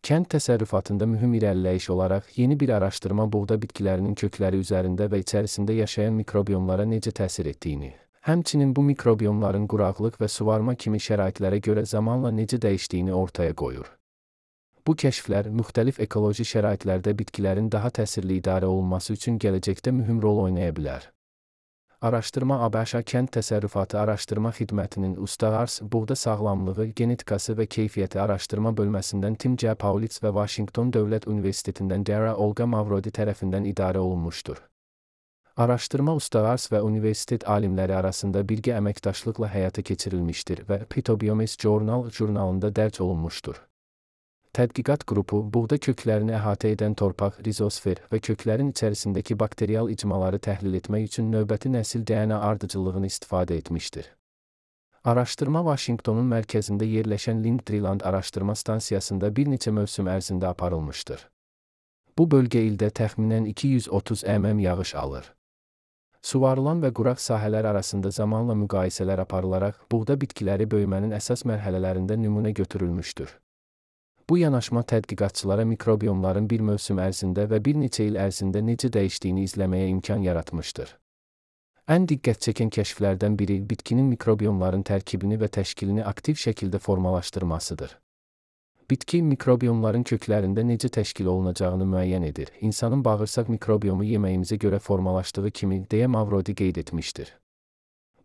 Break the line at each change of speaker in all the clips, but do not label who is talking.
Kənd təsərrüfatında mühüm irəliləyiş olaraq yeni bir araşdırma buğda bitkilərinin kökləri üzərində və içərisində yaşayan mikrobiyomlara necə təsir etdiyini, həmçinin bu mikrobiyomların quraqlıq və suvarma kimi şəraitlərə görə zamanla necə dəyişdiyini ortaya qoyur. Bu kəşflər müxtəlif ekoloji şəraitlərdə bitkilərin daha təsirli idarə olunması üçün gələcəkdə mühüm rol oynaya bilər. Araşdırma ABŞ Kənd Təsərrüfatı Araşdırma Xidmətinin Uluslararası Buğda Sağlamlığı, Genetikası və Keyfiyyəti Araşdırma Bölməsindən Tim J. Paulitz və Washington Dövlət Universitetindən Dara Olga Mavrodi tərəfindən idarə olunmuşdur. Araşdırma uluslararası və universitet alimləri arasında birgə əməkdaşlıqla həyata keçirilmişdir və Phytobiomes Journal jurnalında dərc olunmuşdur. Tədqiqat qrupu, buğda köklərini əhatə edən torpaq, rizosfer və köklərin içərisindəki bakterial icmaları təhlil etmək üçün növbəti nəsil DNA ardıcıllığını istifadə etmişdir. Araşdırma Washingtonun mərkəzində yerləşən Lind-Treeland araşdırma stansiyasında bir neçə mövsüm ərzində aparılmışdır. Bu bölgə ildə təxminən 230 mm yağış alır. Suvarılan və quraq sahələr arasında zamanla müqayisələr aparılaraq, buğda bitkiləri böyümənin əsas mərhələlərində nümunə götürülmüşdür. Bu yanaşma tədqiqatçılara mikrobiyomların bir mövsüm ərzində və bir neçə il ərzində necə dəyişdiyini izləməyə imkan yaratmışdır. Ən diqqət çəkən kəşflərdən biri bitkinin mikrobiyomların tərkibini və təşkilini aktiv şəkildə formalaşdırmasıdır. Bitki mikrobiyomların köklərində necə təşkil olunacağını müəyyən edir. İnsanın bağırsaq mikrobiyomu yeməyimizə görə formalaşdığı kimi, deyə Mavrodi qeyd etmişdir.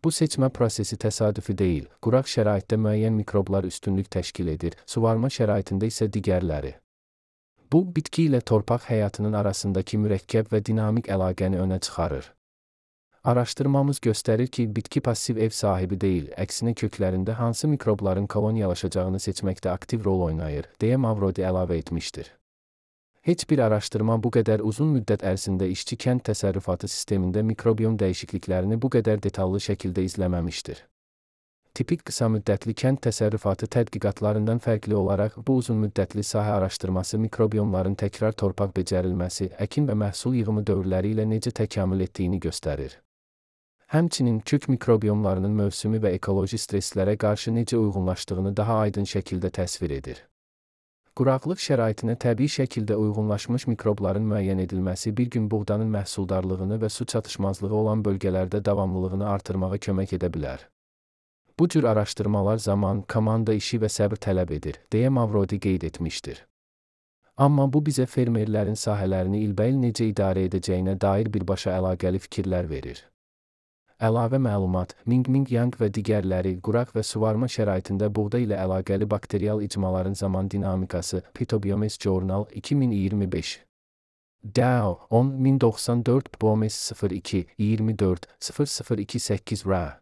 Bu seçmə prosesi təsadüfi deyil, quraq şəraitdə müəyyən mikroblar üstünlük təşkil edir, suvarma şəraitində isə digərləri. Bu, bitki ilə torpaq həyatının arasındakı mürəkkəb və dinamik əlaqəni önə çıxarır. Araşdırmamız göstərir ki, bitki passiv ev sahibi deyil, əksinə köklərində hansı mikrobların koloniyalaşacağını seçməkdə aktiv rol oynayır, deyə Mavrodi əlavə etmişdir. Heç bir araşdırma bu qədər uzun müddət ərzində işçi kənd təsərrüfatı sistemində mikrobiyom dəyişikliklərini bu qədər detallı şəkildə izləməmişdir. Tipik qısa müddətli kənd təsərrüfatı tədqiqatlarından fərqli olaraq, bu uzun müddətli sahə araşdırması mikrobiyomların təkrar torpaq becərilməsi, əkin və məhsul yığımı dövrləri ilə necə təkamül etdiyini göstərir. Həmçinin kök mikrobiyomlarının mövsümi və ekoloji stresslərə qarşı necə uyğunlaşdığını daha aydın şəkildə təsvir edir. Quraqlıq şəraitinə təbii şəkildə uyğunlaşmış mikrobların müəyyən edilməsi bir gün buğdanın məhsuldarlığını və su çatışmazlığı olan bölgələrdə davamlılığını artırmağa kömək edə bilər. Bu cür araşdırmalar zaman, komanda işi və səbr tələb edir, deyə Mavrodi qeyd etmişdir. Amma bu bizə fermerlərin sahələrini ilbəil necə idarə edəcəyinə dair birbaşa əlaqəli fikirlər verir. Əlavə məlumat, Ming Yang və digərləri, quraq və suvarma şəraitində buğda ilə əlaqəli bakterial icmaların zaman dinamikası, Phytobiomes Journal 2025. DAO 10.1094 Bomes 02 24 0028 RA